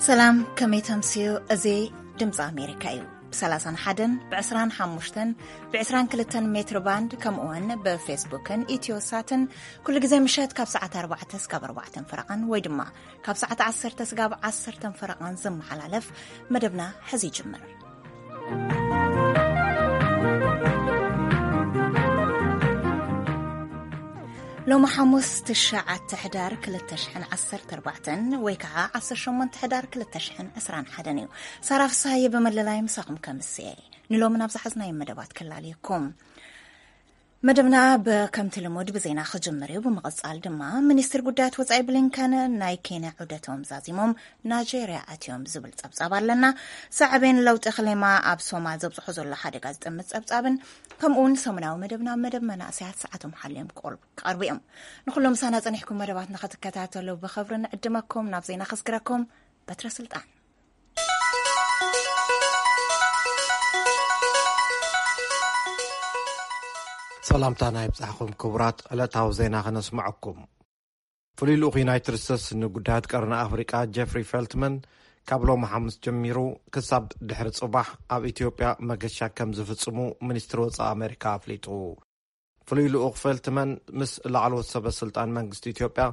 ሰላም፣ ከመይ ተምስዩ? እዚ ድምፂ ኣሜሪካ እዩ። ብ31፣ ብ25፣ ብ22 ሜትር ባንድ፣ ከምኡውን ብፌስቡክን ኢትዮሳትን ኩሉ ግዜ ምሸት ካብ ሰዓት ኣርባዕተ ስጋብ ኣርባዕተን ፈረቓን ወይ ድማ ካብ ሰዓት ዓሰርተ ስጋብ ዓሰርተን ፈረቓን ዝመሓላለፍ መደብና ሕዚ ይጅምር። ሎሚ ሓሙስ ትሽዓተ ሕዳር ክልተ ሽሕን ዓሰርተ ኣርባዕተን ወይ ከዓ ዓሰርተ ሸሞንተ ሕዳር ክልተ ሽሕን ዕስራን ሓደን እዩ። ሳራ ፍስሃየ ብመለላይ ምሳኹም ከምስየ። ንሎሚ ናብ ዝሓዝናዮ መደባት ክላለየኩም። መደብና ብ-፣ ከምቲ ልሙድ ብዜና ክጅምር እዩ። ብምቕጻል ድማ ሚኒስትር ጉዳያት ወጻኢ ብሊንከን ናይ ኬንያ ዑደቶም ዛዚሞም ናይጄርያ ኣትዮም ዝብል ጸብጻብ ኣለና። ሳዕቤን ለውጢ ክሌማ ኣብ ሶማል ዘብጽሖ ዘሎ ሓደጋ ዝጥምት ጸብጻብን ከምኡውን ሰሙናዊ መደብና መደብ መናእሰያት ሰዓቶም ሓልዮም ክቆል-፣ ክቐርቡ እዮም። ንኹሎም ምሳና ጸኒሕኩም መደባትና ክትከታተሉ ብኽብሪ ንዕድመኩም። ናብ ዜና ከስግረኩም በትረ ስልጣን። ሰላምታና ይብጻሕኩም ክቡራት፣ ዕለታዊ ዜና ከነስምዐኩም። ፍሉይ ልኡኽ ዩናይትድ ስቴትስ ንጉዳያት ቀርኒ ኣፍሪቃ ጀፍሪ ፌልትመን ካብ ሎሚ ሓሙስ ጀሚሩ ክሳብ ድሕሪ ጽባሕ ኣብ ኢትዮጵያ መገሻ ከም ዝፍጽሙ ሚኒስትሪ ወጻኢ ኣሜሪካ ኣፍሊጡ። ፍሉይ ልኡኽ ፌልትመን ምስ ላዕለዎት ሰበ ስልጣን መንግስቲ ኢትዮጵያ፣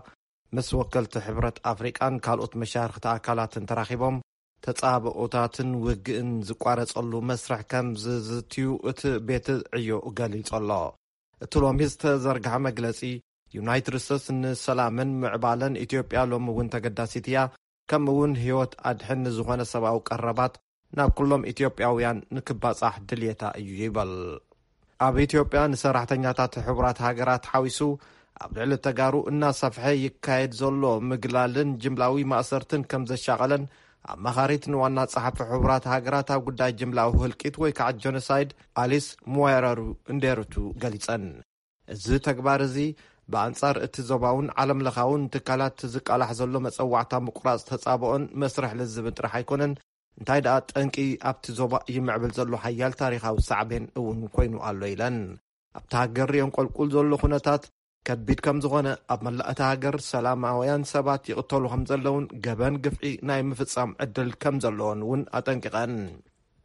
ምስ ወከልቲ ሕብረት ኣፍሪቃን ካልኦት መሻርኽቲ ኣካላትን ተራኺቦም ተጻብኦታትን ውግእን ዝቋረጸሉ መስርሕ ከም ዝዝትዩ እቲ ቤት ዕዮ ገሊጹ ኣሎ። እቲ ሎሚ ዝተዘርግሐ መግለጺ፣ ዩናይትድ ስቴትስ ንሰላምን ምዕባለን ኢትዮጵያ ሎሚ እውን ተገዳሲት እያ፣ ከምኡ እውን ህይወት ኣድሕን ንዝኾነ ሰብኣዊ ቀረባት ናብ ኩሎም ኢትዮጵያውያን ንክባጻሕ ድልየታ እዩ ይበል። ኣብ ኢትዮጵያ ንሰራሕተኛታት ሕቡራት ሃገራት ሓዊሱ ኣብ ልዕሊ ተጋሩ እናሰፍሐ ይካየድ ዘሎ ምግላልን ጅምላዊ ማእሰርትን ከም ዘሻቐለን ኣማኻሪት ንዋና ጸሓፊ ሕቡራት ሃገራት ኣብ ጉዳይ ጅምላዊ ህልቂት ወይ ከዓ ጀኖሳይድ ኣሊስ ሙዋረሩ እንዴሩቱ ገሊጸን። እዚ ተግባር እዚ ብኣንጻር እቲ ዞባውን ዓለም ለኻውን ትካላት ዝቃላሕ ዘሎ መጸዋዕታ ምቁራጽ ተጻብኦን መስርሕ ልዝብን ጥራሕ ኣይኮነን፣ እንታይ ደኣ ጠንቂ ኣብቲ ዞባ ይምዕብል ዘሎ ሓያል ታሪኻዊ ሳዕቤን እውን ኮይኑ ኣሎ ኢለን። ኣብቲ ሃገር የንቆልቁል ዘሎ ኩነታት ከቢድ ከም ዝኾነ፣ ኣብ መላእ እታ ሃገር ሰላማውያን ሰባት ይቕተሉ ከም ዘለውን ገበን ግፍዒ ናይ ምፍጻም ዕድል ከም ዘለዎን እውን ኣጠንቂቐን።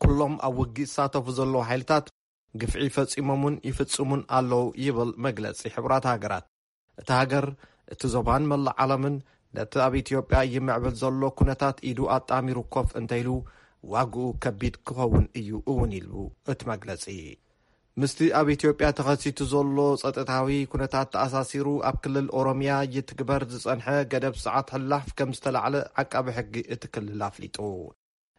ኩሎም ኣብ ውግእ ዝሳተፉ ዘለዉ ሓይልታት ግፍዒ ፈጺሞምን ይፍጽሙን ኣለዉ ይብል መግለጺ ሕቡራት ሃገራት። እታ ሃገር፣ እቲ ዞባን መላእ ዓለምን ነቲ ኣብ ኢትዮጵያ ይምዕብል ዘሎ ኩነታት ኢዱ ኣጣሚሩ ኮፍ እንተኢሉ ዋግኡ ከቢድ ክኸውን እዩ እውን ኢሉ እቲ መግለጺ። ምስቲ ኣብ ኢትዮጵያ ተኸሲቱ ዘሎ ጸጥታዊ ኩነታት ተኣሳሲሩ ኣብ ክልል ኦሮሚያ ይትግበር ዝጸንሐ ገደብ ሰዓት ሕላፍ ከም ዝተላዕለ ዓቃቢ ሕጊ እቲ ክልል ኣፍሊጡ።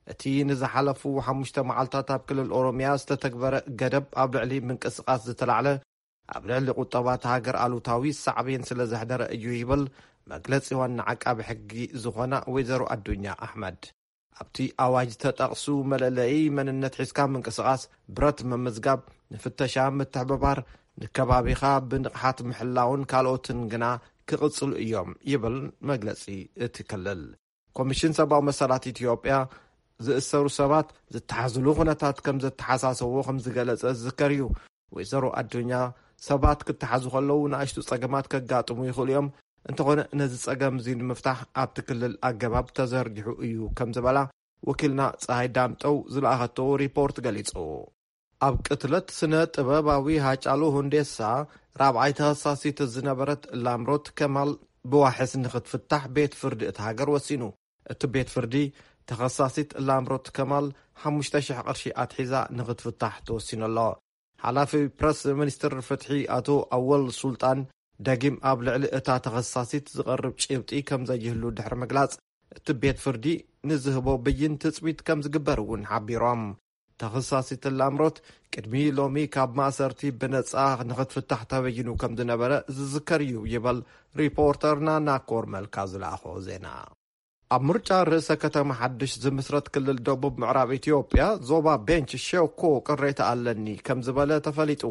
እቲ ንዝሓለፉ ሓሙሽተ መዓልታት ኣብ ክልል ኦሮሚያ ዝተተግበረ ገደብ ኣብ ልዕሊ ምንቅስቓስ ዝተላዕለ ኣብ ልዕሊ ቁጠባ እታ ሃገር ኣሉታዊ ሳዕቤን ስለ ዘሕደረ እዩ ይብል መግለጺ ዋና ዓቃቢ ሕጊ ዝኾና ወይዘሮ ኣዱኛ ኣሕመድ። ኣብቲ ኣዋጅ ተጠቕሱ መለለዪ መንነት ሒዝካ ምንቅስቓስ፣ ብረት ምምዝጋብ፣ ንፍተሻ ምትሕብባር፣ ንከባቢኻ ብንቕሓት ምሕላውን ካልኦትን ግና ክቕጽሉ እዮም ይብል መግለጺ እቲ ክልል። ኮሚሽን ሰብኣዊ መሰላት ኢትዮጵያ ዝእሰሩ ሰባት ዝተሓዝሉ ኩነታት ከም ዘተሓሳሰብዎ ከም ዝገለጸ ዝዝከር እዩ። ወይዘሮ ኣዱኛ፣ ሰባት ክተሓዙ ከለዉ ንኣሽቱ ጸገማት ከጋጥሙ ይኽእሉ እዮም፣ እንተኾነ ነዚ ጸገም እዚ ንምፍታሕ ኣብቲ ክልል ኣገባብ ተዘርጊሑ እዩ ከም ዝበላ ወኪልና ጸሃይ ዳምጠው ዝለኣኸቶ ሪፖርት ገሊጹ። ኣብ ቅትለት ስነ ጥበባዊ ሃጫሉ ሁንዴሳ ራብዓይ ተኸሳሲት ዝነበረት ላምሮት ከማል ብዋሕስ ንኽትፍታሕ ቤት ፍርዲ እታ ሃገር ወሲኑ። እቲ ቤት ፍርዲ ተኸሳሲት ላምሮት ከማል ሓሙሽተ ሽሕ ቅርሺ ኣትሒዛ ንኽትፍታሕ ተወሲኑ ኣሎ። ሓላፊ ፕረስ ሚኒስትር ፍትሒ ኣቶ ኣወል ሱልጣን ደጊም ኣብ ልዕሊ እታ ተኸሳሲት ዝቐርብ ጭብጢ ከም ዘይህሉ ድሕሪ ምግላጽ፣ እቲ ቤት ፍርዲ ንዝህቦ ብይን ትጽቢት ከም ዝግበር እውን ሓቢሮም። ተኸሳሲት ላምሮት ቅድሚ ሎሚ ካብ ማእሰርቲ ብነጻ ንኽትፍታሕ ተበይኑ ከም ዝነበረ ዝዝከር እዩ ይበል ሪፖርተርና ናኮር መልካ ዝለኣኾ ዜና። ኣብ ምርጫ ርእሰ ከተማ ሓድሽ ዝምስረት ክልል ደቡብ ምዕራብ ኢትዮጵያ ዞባ ቤንች ሸኮ ቅሬታ ኣለኒ ከም ዝበለ ተፈሊጡ።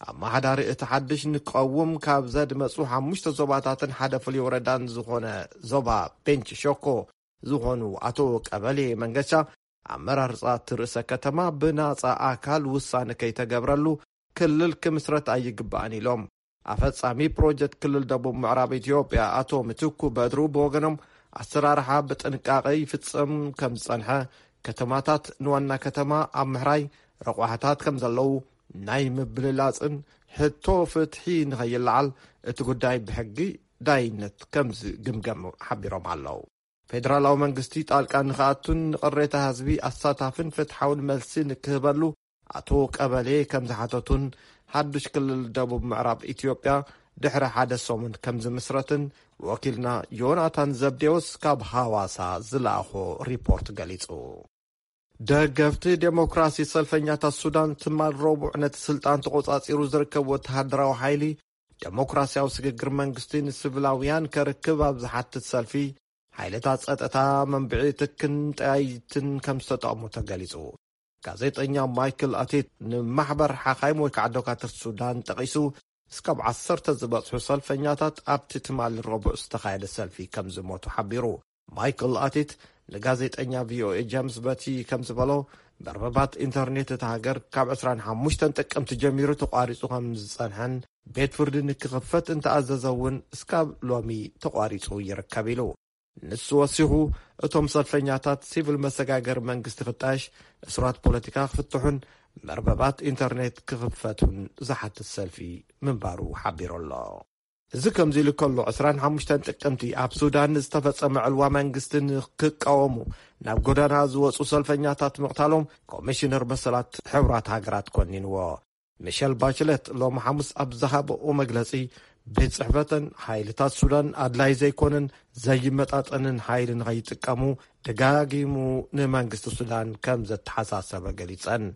ኣመሓዳሪ እቲ ሓድሽ ንቀውም ካብ ዘድመጹ ሓሙሽተ ዞባታትን ሓደ ፍሉይ ወረዳን ዝኾነ ዞባ ቤንች ሸኮ ዝኾኑ ኣቶ ቀበሌ መንገሻ፣ ኣመራርጻ እቲ ርእሰ ከተማ ብናጻ ኣካል ውሳነ ከይተገብረሉ ክልል ክምስረት ኣይግባእን ኢሎም። ኣፈጻሚ ፕሮጀክት ክልል ደቡብ ምዕራብ ኢትዮጵያ ኣቶ ምትኩ በድሩ ብወገኖም፣ ኣሰራርሓ ብጥንቃቐ ይፍጸም ከም ዝጸንሐ፣ ከተማታት ንዋና ከተማ ኣብ ምሕራይ ረቋሕታት ከም ዘለዉ፣ ናይ ምብልላጽን ሕቶ ፍትሒ ንኸይለዓል እቲ ጉዳይ ብሕጊ ዳይነት ከም ዝግምገም ሓቢሮም ኣለዉ። ፌደራላዊ መንግስቲ ጣልቃ ንኽኣቱን ንቕሬታ ህዝቢ ኣሳታፍን ፍትሓውን መልሲ ንክህበሉ ኣቶ ቀበሌ ከም ዝሓተቱን፣ ሓዱሽ ክልል ደቡብ ምዕራብ ኢትዮጵያ ድሕሪ ሓደ ሰሙን ከም ዝምስረትን ወኪልና ዮናታን ዘብዴዎስ ካብ ሃዋሳ ዝለኣኾ ሪፖርት ገሊጹ። ደገፍቲ ዴሞክራሲ ሰልፈኛታት ሱዳን ትማል ረቡዕ ነቲ ስልጣን ተቖጻጺሩ ዝርከብ ወተሃደራዊ ሓይሊ ዴሞክራሲያዊ ስግግር መንግስቲ ንስቪላውያን ከርክብ ኣብ ዝሓትት ሰልፊ፣ ሓይልታት ጸጥታ መንብዒ ትክን ጠያይትን ከም ዝተጠቕሙ ተገሊጹ። ጋዜጠኛ ማይክል ኣቲት ንማሕበር ሓኻይም ወይ ከዓ ዶካትር ሱዳን ጠቒሱ፣ እስካብ ዓሰርተ ዝበጽሑ ሰልፈኛታት ኣብቲ ትማሊ ረቡዕ ዝተኻየደ ሰልፊ ከም ዝሞቱ ሓቢሩ። ማይክል ኣቲት ንጋዜጠኛ ቪኦኤ ጀምስ በቲ ከም ዝበሎ፣ መርበባት ኢንተርኔት እታ ሃገር ካብ ዕስራን ሓሙሽተን ጥቅምቲ ጀሚሩ ተቋሪጹ ከም ዝጸንሐን ቤት ፍርዲ ንክኽፈት እንተኣዘዘ እውን እስካብ ሎሚ ተቋሪጹ ይርከብ ኢሉ። ንሱ ወሲኹ፣ እቶም ሰልፈኛታት ሲቪል መሰጋገሪ መንግስቲ ክጣየሽ፣ እሱራት ፖለቲካ ክፍትሑን መርበባት ኢንተርኔት ክኽፈቱን ዝሓትት ሰልፊ ምንባሩ ሓቢሩ ኣሎ። እዚ ከምዚ ኢሉ ከሎ፣ ዕስራን ሓሙሽተን ጥቅምቲ ኣብ ሱዳን ዝተፈጸመ ዕልዋ መንግስቲ ንክቃወሙ ናብ ጎዳና ዝወጹ ሰልፈኛታት ምቕታሎም ኮሚሽነር መሰላት ሕቡራት ሃገራት ኮኒንዎ። ሚሸል ባችለት ሎሚ ሓሙስ ኣብ ዝሃበኦ መግለጺ፣ ቤት ጽሕፈተን ሓይልታት ሱዳን ኣድላይ ዘይኮነን ዘይመጣጠንን ሓይሊ ንኸይጥቀሙ ደጋጊሙ ንመንግስቲ ሱዳን ከም ዘተሓሳሰበ ገሊጸን።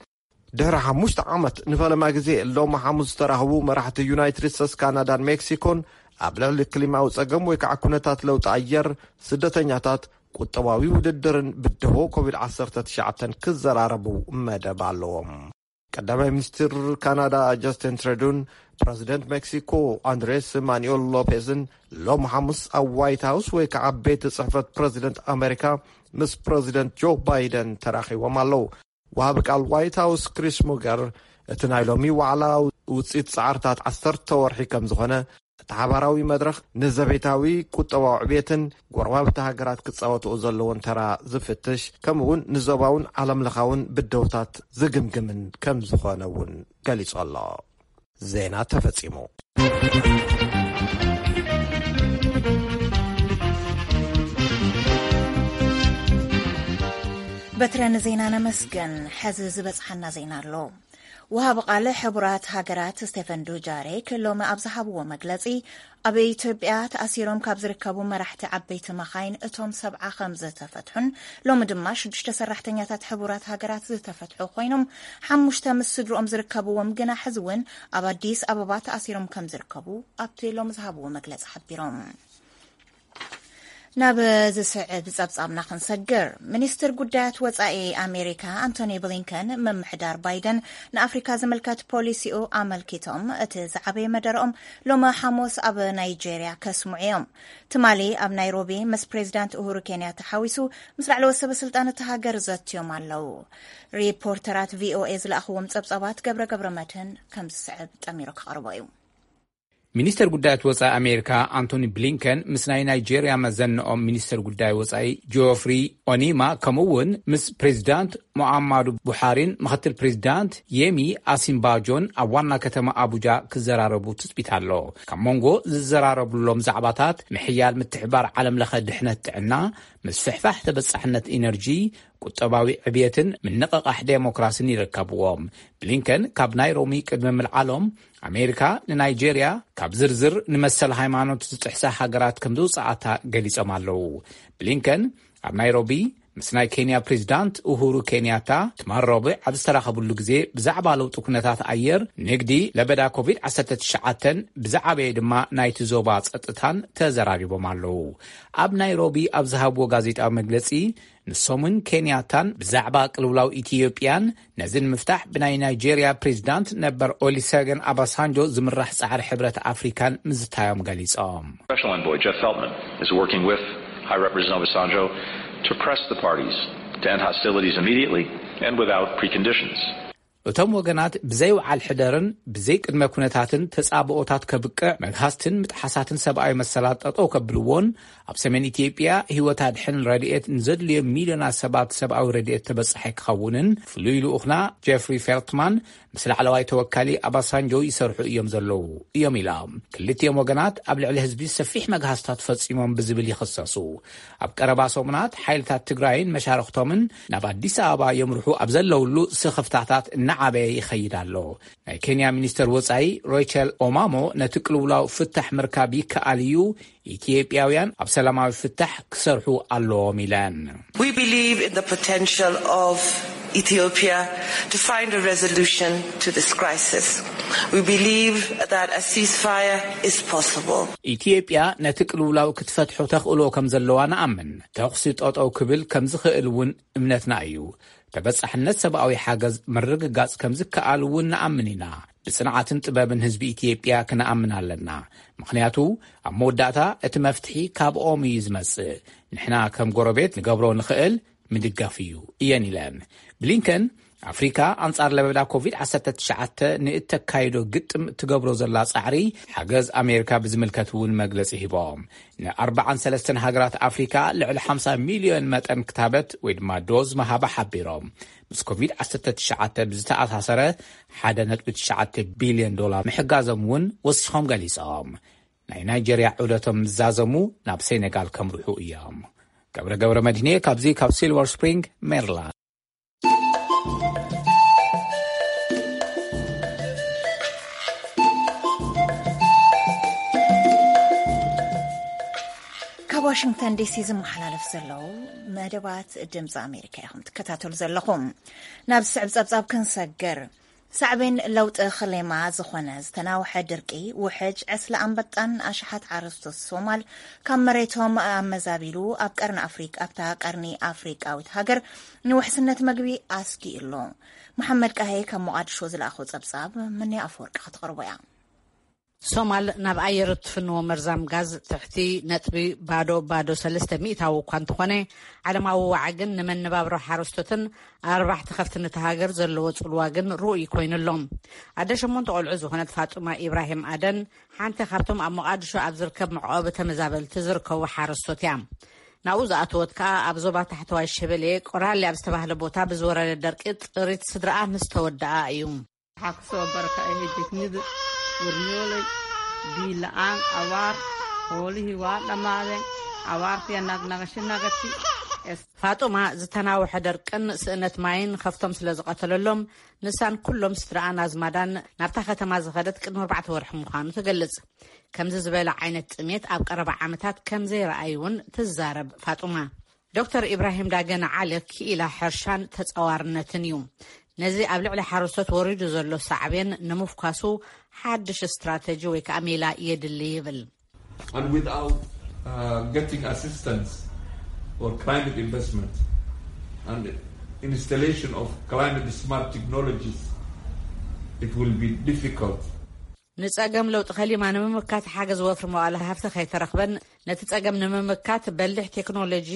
ድሕሪ ሓሙሽተ ዓመት ንፈለማ ግዜ ሎሚ ሓሙስ ዝተራኸቡ መራሕቲ ዩናይትድ ስቴትስ፣ ካናዳን ሜክሲኮን ኣብ ልዕሊ ክሊማዊ ጸገም ወይ ከዓ ኩነታት ለውጢ ኣየር፣ ስደተኛታት፣ ቁጠባዊ ውድድርን ብድሆ ኮቪድ ዓሰርተ ትሽዓተ ክዘራረቡ መደብ ኣለዎም። ቀዳማይ ሚኒስትር ካናዳ ጃስቲን ትሩዶን ፕረዚደንት ሜክሲኮ ኣንድሬስ ማኑኤል ሎፔዝን ሎም ሓሙስ ኣብ ዋይት ሃውስ ወይ ከዓ ቤት ጽሕፈት ፕረዚደንት ኣሜሪካ ምስ ፕረዚደንት ጆ ባይደን ተራኺቦም ኣለዉ። ወሃቢ ቃል ዋይት ሃውስ ክሪስ ሙገር፣ እቲ ናይ ሎሚ ዋዕላ ውፅኢት ፃዕርታት ዓሰርተ ወርሒ ከም ዝኾነ፣ እቲ ሓባራዊ መድረኽ ንዘቤታዊ ቁጠባዊ ዕብየትን ጎረባብቲ ሃገራት ክፃወትኦ ዘለዎን ተራ ዝፍትሽ፣ ከምኡ እውን ንዞባውን ዓለምለኻውን ብድሆታት ዝግምግምን ከም ዝኾነ እውን ገሊጹ ኣሎ። ዜና ተፈጺሙ። በትረ ንዜና ነመስግን። ሕዚ ዝበጽሓና ዜና ኣሎ። ወሃቢ ቃል ሕቡራት ሃገራት ስቴፈን ዱጃሪክ ሎሚ ኣብ ዝሃብዎ መግለጺ፣ ኣብ ኢትዮጵያ ተኣሲሮም ካብ ዝርከቡ መራሕቲ ዓበይቲ መኻይን እቶም ሰብዓ ከም ዝተፈትሑን፣ ሎሚ ድማ ሽዱሽተ ሰራሕተኛታት ሕቡራት ሃገራት ዝተፈትሑ ኮይኖም፣ ሓሙሽተ ምስ ስድርኦም ዝርከብዎም ግና ሕዚ እውን ኣብ ኣዲስ ኣበባ ተኣሲሮም ከም ዝርከቡ ኣብቲ ሎሚ ዝሃብዎ መግለጺ ሓቢሮም። ናብ ዝስዕብ ጸብጻብና ክንሰግር፣ ሚኒስትር ጉዳያት ወጻኢ ኣሜሪካ ኣንቶኒ ብሊንከን፣ ምምሕዳር ባይደን ንኣፍሪካ ዝምልከት ፖሊሲኡ ኣመልኪቶም እቲ ዝዓበየ መደረኦም ሎሚ ሓሙስ ኣብ ናይጄርያ ከስምዑ እዮም። ትማሊ ኣብ ናይሮቢ ምስ ፕሬዚዳንት ኡሁሩ ኬንያታ ሓዊሱ ምስ ላዕለዎት ሰበ ስልጣን እቲ ሃገር ዘትዮም ኣለዉ። ሪፖርተራት ቪኦኤ ዝለኣኽዎም ጸብጻባት ገብረ ገብረ መድህን ከም ዝስዕብ ጠሚሩ ክቐርቦ እዩ። ሚኒስተር ጉዳያት ወጻኢ ኣሜሪካ ኣንቶኒ ብሊንከን ምስ ናይ ናይጄርያ መዘንኦም ሚኒስተር ጉዳይ ወጻኢ ጆፍሪ ኦኒማ፣ ከምኡ እውን ምስ ፕሬዚዳንት ሙዓማዱ ቡሓሪን ምኽትል ፕሬዚዳንት የሚ ኣሲምባጆን ኣብ ዋና ከተማ ኣቡጃ ክዘራረቡ ትጽቢት ኣሎ። ካብ መንጎ ዝዘራረብሎም ዛዕባታት፣ ምሕያል ምትሕባር ዓለም ለኸ ድሕነት ጥዕና፣ ምስፍሕፋሕ ተበጻሕነት ኢነርጂ፣ ቁጠባዊ ዕብየትን ምንቕቓሕ ዴሞክራሲን ይርከብዎም። ብሊንከን ካብ ናይሮቢ ቅድሚ ምልዓሎም፣ ኣሜሪካ ንናይጄርያ ካብ ዝርዝር ንመሰል ሃይማኖት ዝጥሕሳ ሃገራት ከም ዘውፅኣታ ገሊጾም ኣለዉ። ብሊንከን ኣብ ናይሮቢ ምስ ናይ ኬንያ ፕሬዚዳንት ኡሁሩ ኬንያታ ትማል ረቡዕ ኣብ ዝተራኸብሉ ግዜ፣ ብዛዕባ ለውጢ ኩነታት ኣየር፣ ንግዲ፣ ለበዳ ኮቪድ ዓሰርተ ትሽዓተን ብዝዓበየ ድማ ናይቲ ዞባ ጸጥታን ተዘራሪቦም ኣለዉ። ኣብ ናይሮቢ ኣብ ዝሃብዎ ጋዜጣዊ መግለጺ፣ ንሶምን ኬንያታን ብዛዕባ ቅልውላው ኢትዮጵያን ነዚ ንምፍታሕ ብናይ ናይጄርያ ፕሬዚዳንት ነበር ኦሊሰገን ኣባሳንጆ ዝምራሕ ጻዕሪ ሕብረት ኣፍሪካን ምዝታዮም ገሊጾም። Special Envoy Jeff Feltman is working with High Representative Obasanjo to press the parties to end hostilities immediately and without preconditions. እቶም ወገናት ብዘይ ውዓል ሕደርን ብዘይ ቅድመ ኩነታትን ተጻብኦታት ከብቅዕ፣ መግሃስትን ምጥሓሳትን ሰብኣዊ መሰላት ጠጠው ከብልዎን፣ ኣብ ሰሜን ኢትዮጵያ ህይወት ኣድሕን ረድኤት ንዘድልዮም ሚልዮናት ሰባት ሰብኣዊ ረድኤት ተበጻሒ ክኸውንን ፍሉይ ልኡኽና ጀፍሪ ፌልትማን ምስ ላዕለዋይ ተወካሊ ኣባሳንጆ ይሰርሑ እዮም ዘለዉ እዮም ኢላ። ክልቲኦም ወገናት ኣብ ልዕሊ ህዝቢ ሰፊሕ መግሃስታት ፈጺሞም ብዝብል ይኽሰሱ። ኣብ ቀረባ ሰሙናት ሓይልታት ትግራይን መሻርኽቶምን ናብ ኣዲስ ኣበባ የምርሑ ኣብ ዘለውሉ ስኽፍታታት እናዓበየ ይኸይድ ኣሎ። ናይ ኬንያ ሚኒስተር ወጻኢ ሮይቸል ኦማሞ ነቲ ቅልውላው ፍታሕ ምርካብ ይከኣል እዩ፣ ኢትዮጵያውያን ኣብ ሰላማዊ ፍታሕ ክሰርሑ ኣለዎም ኢለን። We believe in the potential of Ethiopia to find a resolution to this crisis. We believe that a ceasefire is possible. ኢትዮጵያ ነቲ ቅልውላው ክትፈትሖ ተኽእሎ ከም ዘለዋ ንኣምን። ተኹሲ ጠጠው ክብል ከም ዝኽእል እውን እምነትና እዩ። ተበጻሕነት ሰብኣዊ ሓገዝ ምርግጋጽ ከም ዝከኣል እውን ንኣምን ኢና። ብጽንዓትን ጥበብን ህዝቢ ኢትዮጵያ ክንኣምን ኣለና። ምኽንያቱ ኣብ መወዳእታ እቲ መፍትሒ ካብኦም እዩ ዝመጽእ። ንሕና ከም ጎረቤት ንገብሮ ንኽእል ምድጋፍ እዩ እየን ኢለን። ብሊንከን ኣፍሪካ ኣንጻር ለበዳ ኮቪድ ዓሰርተ ትሽዓተ ንእተካይዶ ግጥም ትገብሮ ዘላ ጻዕሪ ሓገዝ ኣሜሪካ ብዝምልከት እውን መግለጺ ሂቦም። ን43 ሃገራት ኣፍሪካ ልዕሊ ሓምሳ ሚልዮን መጠን ክታበት ወይ ድማ ዶዝ ምሃባ ሓቢሮም። ምስ ኮቪድ ዓሰርተ ትሽዓተ ብዝተኣሳሰረ ሓደ ነጥቢ ትሽዓተ ቢልዮን ዶላር ምሕጋዞም እውን ወሲኾም ገሊጾም። ናይ ናይጀርያ ዑደቶም ዝዛዘሙ ናብ ሴኔጋል ከምርሑ እዮም። ገብረ ገብረ መድህኔ ካብዚ ካብ ሲልቨር ስፕሪንግ ሜሪላንድ። ካብ ዋሽንግተን ዲሲ ዝመሓላለፍ ዘለዉ መደባት ድምፂ ኣሜሪካ ኢኹም ትከታተሉ ዘለኹም። ናብ ዝስዕብ ጸብጻብ ክንሰግር። ሳዕቤን ለውጢ ክሌማ ዝኾነ ዝተናውሐ ድርቂ፣ ውሕጅ፣ ዕስለ ኣንበጣን ኣሽሓት ሓረስቶት ሶማል ካብ መሬቶም ኣመዛቢሉ ኣብ ቀርኒ ኣፍሪቃ፣ ኣብታ ቀርኒ ኣፍሪቃዊት ሃገር ንውሕስነት መግቢ ኣስጊኡ ኣሎ። መሓመድ ቃሄ ካብ ሞቓድሾ ዝለኣኾ ጸብጻብ መን ኣፈወርቂ ከተቕርቦ እያ። ሶማል ናብ ኣየር እትፍንዎ መርዛም ጋዝ ትሕቲ ነጥቢ ባዶ ባዶ ሰለስተ ሚእታዊ እኳ እንተኾነ፣ ዓለማዊ ዋዒ ግን ንመነባብሮ ሓረስቶትን ኣርባሕቲ ከፍትን እታ ሃገር ዘለዎ ጽልዋ ግን ርኡይ ኮይኑ ኣሎ። ኣደ ሸሞንተ ቆልዑ ዝኾነት ፋጡማ ኢብራሂም ኣደን ሓንቲ ካብቶም ኣብ ሞቓድሾ ኣብ ዝርከብ መዕቆቢ ተመዛበልቲ ዝርከቡ ሓረስቶት እያ። ናብኡ ዝኣተወት ከኣ ኣብ ዞባ ታሕተዋይ ሸበሌ ቆራሌ ኣብ ዝተባህለ ቦታ ብዝወረደ ደርቂ ጥሪት ስድራኣ ምስ ተወደኣ እዩ። Waxaa ku soo barakacay hejeknida warnyoolay biila'aan abaar xoolihii waa dhammaadeen abaartiya nagnagasho nagati. ፋጡማ ዝተናውሐ ደርቅን ስእነት ማይን ከፍቶም ስለ ዝቐተለሎም ንሳን ኩሎም ስድራኣን ኣዝማዳን ናብታ ከተማ ዝኸደት ቅድሚ ኣርባዕተ ወርሒ ምዃኑ ትገልጽ። ከምዚ ዝበለ ዓይነት ጥሜት ኣብ ቀረባ ዓመታት ከም ዘይረኣዩ እውን ትዛረብ ፋጡማ። ዶክተር ኢብራሂም ዳገን ዓሊ ክኢላ ሕርሻን ተጻዋርነትን እዩ። ነዚ ኣብ ልዕሊ ሓረስቶት ወሪዱ ዘሎ ሳዕቤን ንምፍኳሱ ሓድሽ ስትራተጂ ወይ ከዓ ሜላ የድሊ ይብል። And without uh, getting assistance or climate investment and installation of climate smart technologies, it will be difficult. ንጸገም ለውጢ ከሊማ ንምምካት ሓገዝ ወፍሪ መዋእለ ሃፍቲ ከይተረኽበን ነቲ ጸገም ንምምካት በሊሕ ቴክኖሎጂ